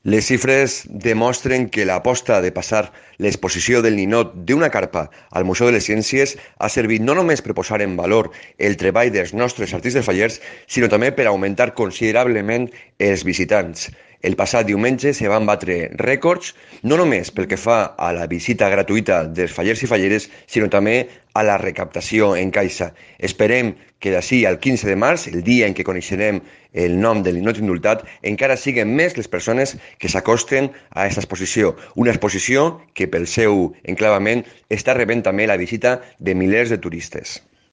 Les xifres demostren que l'aposta de passar l'exposició del ninot d'una carpa al Museu de les Ciències ha servit no només per posar en valor el treball dels nostres artistes fallers, sinó també per augmentar considerablement els visitants. El passat diumenge se van batre rècords, no només pel que fa a la visita gratuïta dels fallers i falleres, sinó també a la recaptació en caixa. Esperem que d'ací al 15 de març, el dia en què coneixerem el nom del ninot indultat, encara siguen més les persones que s'acosten a aquesta exposició. Una exposició que pel seu enclavament està rebent també la visita de milers de turistes.